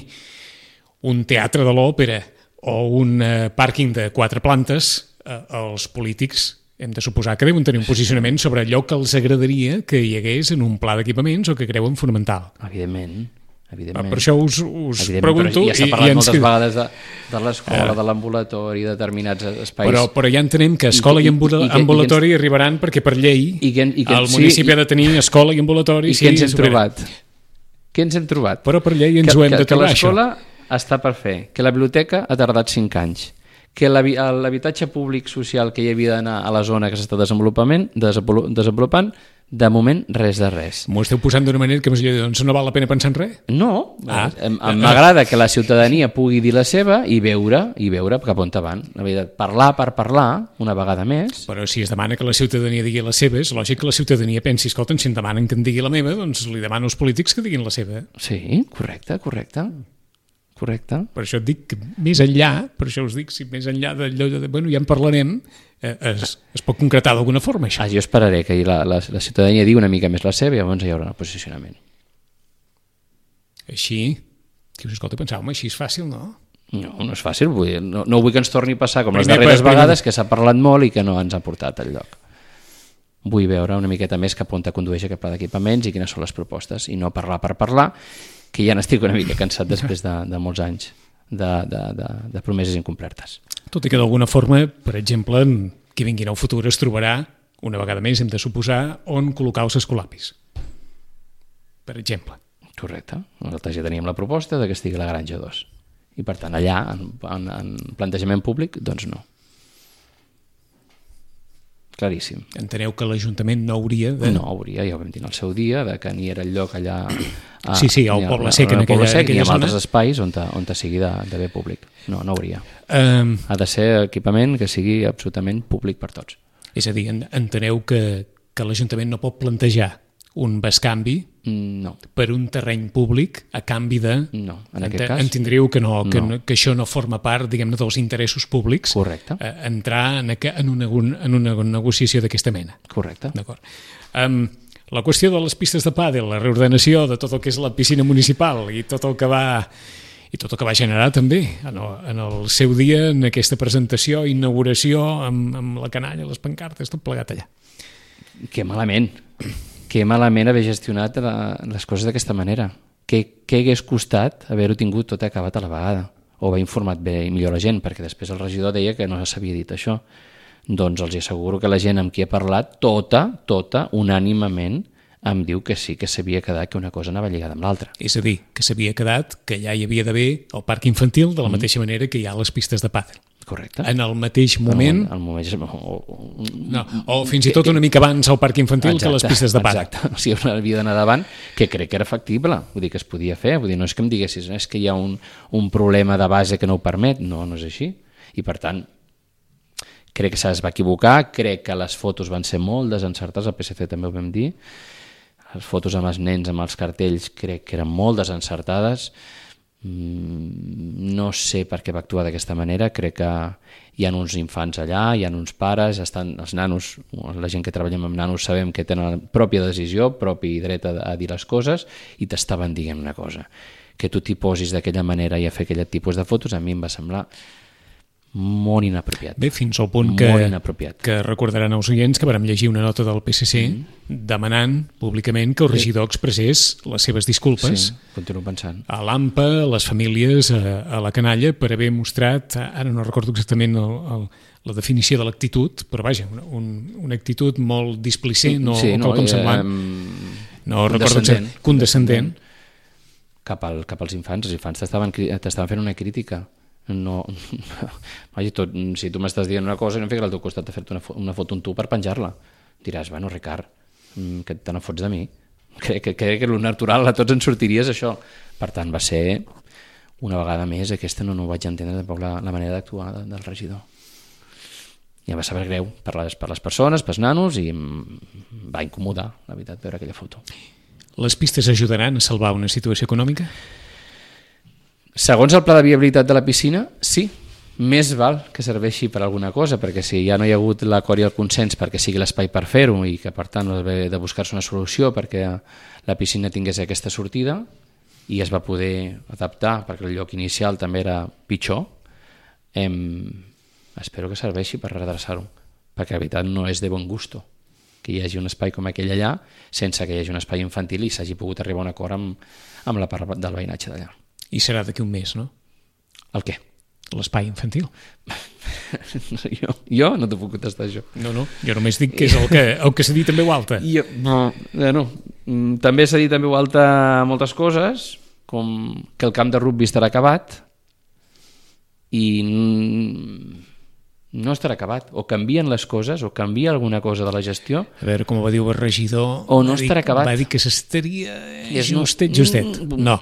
un teatre de l'òpera o un eh, pàrquing de quatre plantes, eh, els polítics hem de suposar que deuen tenir un posicionament sobre allò que els agradaria que hi hagués en un pla d'equipaments o que creuen fonamental. Evidentment, evidentment. Per això us, us evidentment, pregunto... Ja s'ha i, parlat i ens... moltes vegades de, de l'escola, uh, de l'ambulatori, de determinats espais. Però, però ja entenem que escola i, i, i, i ambulatori i, i, arribaran perquè per llei i que, i que, el municipi sí, ha de tenir escola i ambulatori. I sí, què ens hem trobat? Què ens hem trobat? Però per llei ens que, ho hem que, de trobar, això. Que l'escola està per fer, que la biblioteca ha tardat cinc anys, que l'habitatge públic social que hi havia d'anar a la zona que s'està desenvolupant, desenvolupant, de moment res de res. M'ho esteu posant d'una manera que m'ho dir, doncs no val la pena pensar en res? No, ah. m'agrada que la ciutadania pugui dir la seva i veure i veure cap on van. La veritat, parlar per parlar, una vegada més. Però si es demana que la ciutadania digui la seva, és lògic que la ciutadania pensi, escolta, si em demanen que em digui la meva, doncs li demano als polítics que diguin la seva. Sí, correcte, correcte. Correcte. Per això et dic que més enllà, per això us dic, si més enllà d'allò de, bueno, ja en parlarem, eh, es, es pot concretar d'alguna forma, això. Ah, jo esperaré que la, la, la ciutadania digui una mica més la seva i llavors hi haurà un posicionament. Així, que us escolta, pensàvem, així és fàcil, no? No, no és fàcil, vull dir, no, no vull que ens torni a passar com primer, les darreres primer, vegades, que s'ha parlat molt i que no ens ha portat al lloc. Vull veure una miqueta més cap on condueix aquest pla d'equipaments i quines són les propostes, i no parlar per parlar, que ja n'estic una mica cansat després de, de molts anys de, de, de, de promeses incomplertes. Tot i que d'alguna forma, per exemple, qui vingui en el futur es trobarà, una vegada més hem de suposar, on col·locar els escolapis. Per exemple. Correcte. Nosaltres ja teníem la proposta de que estigui la Granja dos. I per tant, allà, en, en, en plantejament públic, doncs no. Claríssim. Enteneu que l'Ajuntament no hauria de... No hauria, ja ho vam dir en el seu dia, de que ni era el lloc allà... A, sí, sí, al Poble Sec, en aquella, Sec, aquella ni en zona. altres espais on, ta, on ta sigui de, de bé públic. No, no hauria. Um, ha de ser equipament que sigui absolutament públic per tots. És a dir, enteneu que, que l'Ajuntament no pot plantejar un bescanvi no. per un terreny públic a canvi de... No, en aquest cas... Entendríeu que, no, que, no. que això no forma part, diguem-ne, dels interessos públics. Correcte. Eh, entrar en, en, una, en una negociació d'aquesta mena. Correcte. D'acord. Um, la qüestió de les pistes de pàdel, la reordenació de tot el que és la piscina municipal i tot el que va... i tot el que va generar també en el, en el seu dia, en aquesta presentació, inauguració, amb, amb la canalla, les pancartes, tot plegat allà. Que malament, que malament haver gestionat la, les coses d'aquesta manera. Què hagués costat haver-ho tingut tot acabat a la vegada? O haver informat bé i millor la gent, perquè després el regidor deia que no s'havia dit això. Doncs els asseguro que la gent amb qui he parlat, tota, tota, unànimament, em diu que sí, que s'havia quedat que una cosa anava lligada amb l'altra. És a dir, que s'havia quedat que ja hi havia d'haver el parc infantil de la mm. mateixa manera que hi ha les pistes de pàdel. Correcte. En el mateix moment... El, el moment o, o, no, o fins i tot una mica abans al parc infantil exacte, que les pistes de pàdel. Exacte, o sigui, havia d'anar davant, que crec que era factible, vull dir que es podia fer, vull dir, no és que em diguessis, no és que hi ha un, un problema de base que no ho permet, no, no és així. I per tant, crec que es va equivocar, crec que les fotos van ser molt desencertades, al P S C també ho vam dir, les fotos amb els nens, amb els cartells, crec que eren molt desencertades, no sé per què va actuar d'aquesta manera, crec que hi ha uns infants allà, hi ha uns pares, estan els nanos, la gent que treballem amb nanos sabem que tenen la pròpia decisió, propi dret a, a dir les coses, i t'estaven dient una cosa. Que tu t'hi posis d'aquella manera i a fer aquell tipus de fotos, a mi em va semblar molt inapropiat. Bé, fins al punt que, que recordaran els oients que vam llegir una nota del P S C mm. demanant públicament que el regidor expressés les seves disculpes sí, continuo pensant. A l'A M P A, a les famílies, a, a la canalla, per haver mostrat, ara no recordo exactament el, el, la definició de l'actitud, però vaja, una, un, una actitud molt displicent o sí, no, quelcom semblant. Eh, no recordo exactament. Condescendent. Cap, al, cap als infants. Els infants t'estaven fent una crítica. No, vaja, tot, si tu m'estàs dient una cosa i no em fiques al teu costat de fer-te una, una foto amb tu per penjar-la, diràs, bueno, Ricard, que te n'en fots de mi? Crec que, crec que el natural a tots ens sortiria és això. Per tant, va ser una vegada més, aquesta no, no ho vaig entendre tampoc la, la manera d'actuar de, del regidor. I em va saber greu per les, per les persones, pels nanos, i em va incomodar, la veritat, veure aquella foto. Les pistes ajudaran a salvar una situació econòmica? Segons el pla de viabilitat de la piscina, sí. Més val que serveixi per alguna cosa, perquè si ja no hi ha hagut l'acord i el consens perquè sigui l'espai per fer-ho i que per tant ha de buscar-se una solució perquè la piscina tingués aquesta sortida i es va poder adaptar perquè el lloc inicial també era pitjor, em... espero que serveixi per redreçar-ho, perquè la veritat no és de bon gusto que hi hagi un espai com aquell allà sense que hi hagi un espai infantil i s'hagi pogut arribar a un acord amb, amb la part del veïnatge d'allà. I serà d'aquí un mes, no? El què? L'espai infantil. jo, jo no t'ho puc contestar, això. No, no, jo només dic que és el que, el que s'ha dit en veu alta. Jo, no, no. També s'ha dit en veu alta moltes coses, com que el camp de rugby estarà acabat i no estarà acabat. O canvien les coses, o canvia alguna cosa de la gestió. A veure, com va dir el regidor... O no estarà acabat. Va dir que s'estaria justet, justet. No.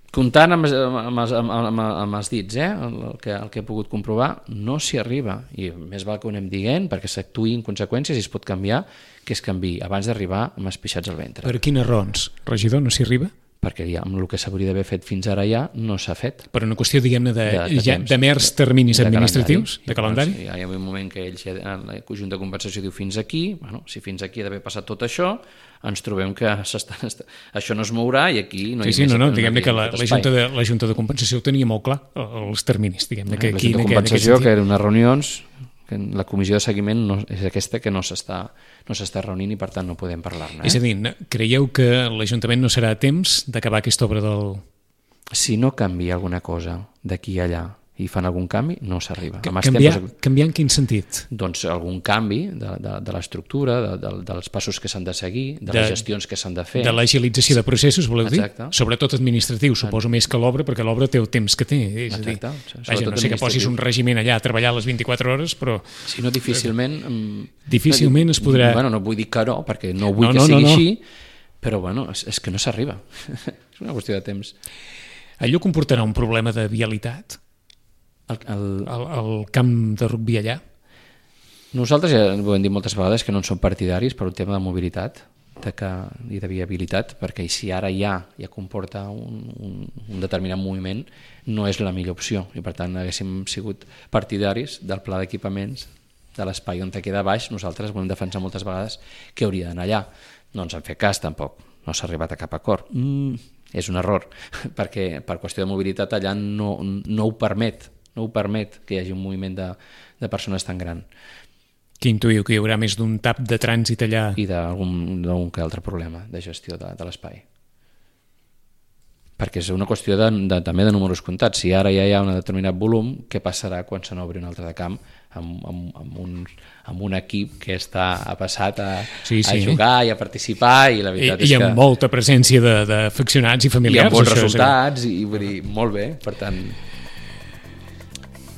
Comptant amb, amb, amb, amb, amb els dits, eh? el, que, el que he pogut comprovar, no s'hi arriba. I més val que ho anem dient perquè s'actuï en conseqüències i es pot canviar, que es canviï abans d'arribar amb els pixats al ventre. Per quines raons, regidor, no s'hi arriba? Perquè ja, amb el que s'hauria d'haver fet fins ara ja no s'ha fet. Per una qüestió, diguem-ne, de, de, de, ja, de mers terminis de administratius, calendari. de calendari? Sí, hi ha un moment que ells, la Junta de Compensació diu fins aquí, bueno, si fins aquí ha d'haver passat tot això, ens trobem que això no es mourà i aquí no hi ha sí, sí, més... No, no, diguem-ne que la, la, Junta de, la Junta de Compensació ho tenia molt clar, els terminis, diguem-ne. Que la aquí, Junta de Compensació, que eren unes reunions... la comissió de seguiment no, és aquesta que no s'està no s'està reunint i per tant no podem parlar-ne. Eh? És a dir, creieu que l'Ajuntament no serà a temps d'acabar aquesta obra del... Si no canvia alguna cosa d'aquí a allà i fan algun canvi, no s'arriba. Canviar, temps... canviar en quin sentit? Doncs algun canvi de, de, de l'estructura, de, de, dels passos que s'han de seguir, de, de les gestions que s'han de fer. De l'agilització de processos, voleu dir? Exacte. Sobretot administratiu, suposo més que l'obra, perquè l'obra té el temps que té. És a dir, Exacte. Vaja, no sé que posis un regiment allà a treballar a les vint-i-quatre hores, però... Si no, difícilment... Difícilment es podrà... Bueno, no vull dir que no, perquè no vull no, que no, sigui no, no. així, però bueno, és, és que no s'arriba. És una qüestió de temps. Allò comportarà un problema de vialitat? El, el... El, el camp de rugby allà? Nosaltres ja ho hem dit moltes vegades que no en som partidaris per un tema de mobilitat de que, i de viabilitat, perquè si ara ja, ja comporta un, un, un determinat moviment, no és la millor opció i per tant haguéssim sigut partidaris del pla d'equipaments de l'espai on te queda baix. Nosaltres volem defensar moltes vegades que hauria d'anar allà. No ens han fet cas tampoc, no s'ha arribat a cap acord. Mm, és un error, perquè per qüestió de mobilitat allà no, no ho permet no ho permet que hi hagi un moviment de, de persones tan gran. Que intuïu que hi haurà més d'un tap de trànsit allà? I d'algun que altre problema de gestió de, de l'espai. Perquè és una qüestió de, de, també de números comptats. Si ara ja hi ha un determinat volum, què passarà quan se n'obri un altre de camp amb, amb, amb, un, amb un equip que està ha passat a, sí, sí. a jugar i a participar i la veritat I, és i amb que... molta presència d'afeccionats i familiars. I amb bons resultats, i vull dir, molt bé, per tant...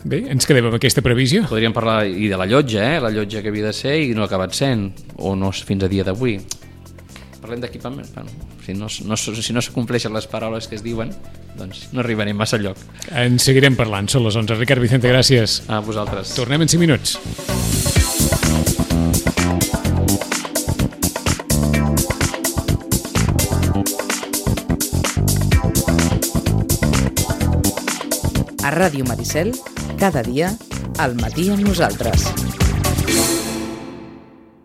Bé, ens quedem amb aquesta previsió. Podríem parlar i de la llotja, eh? La llotja que havia de ser i no ha acabat sent, o no fins a dia d'avui. parlem d'equipament, bueno, si no, no, si no s'acompleixen les paraules que es diuen, doncs no arribarem massa lloc. En seguirem parlant, són les onze. Ricard Vicente, gràcies. A vosaltres. Tornem en cinc minuts. A Ràdio Maricel, cada dia, al matí amb nosaltres.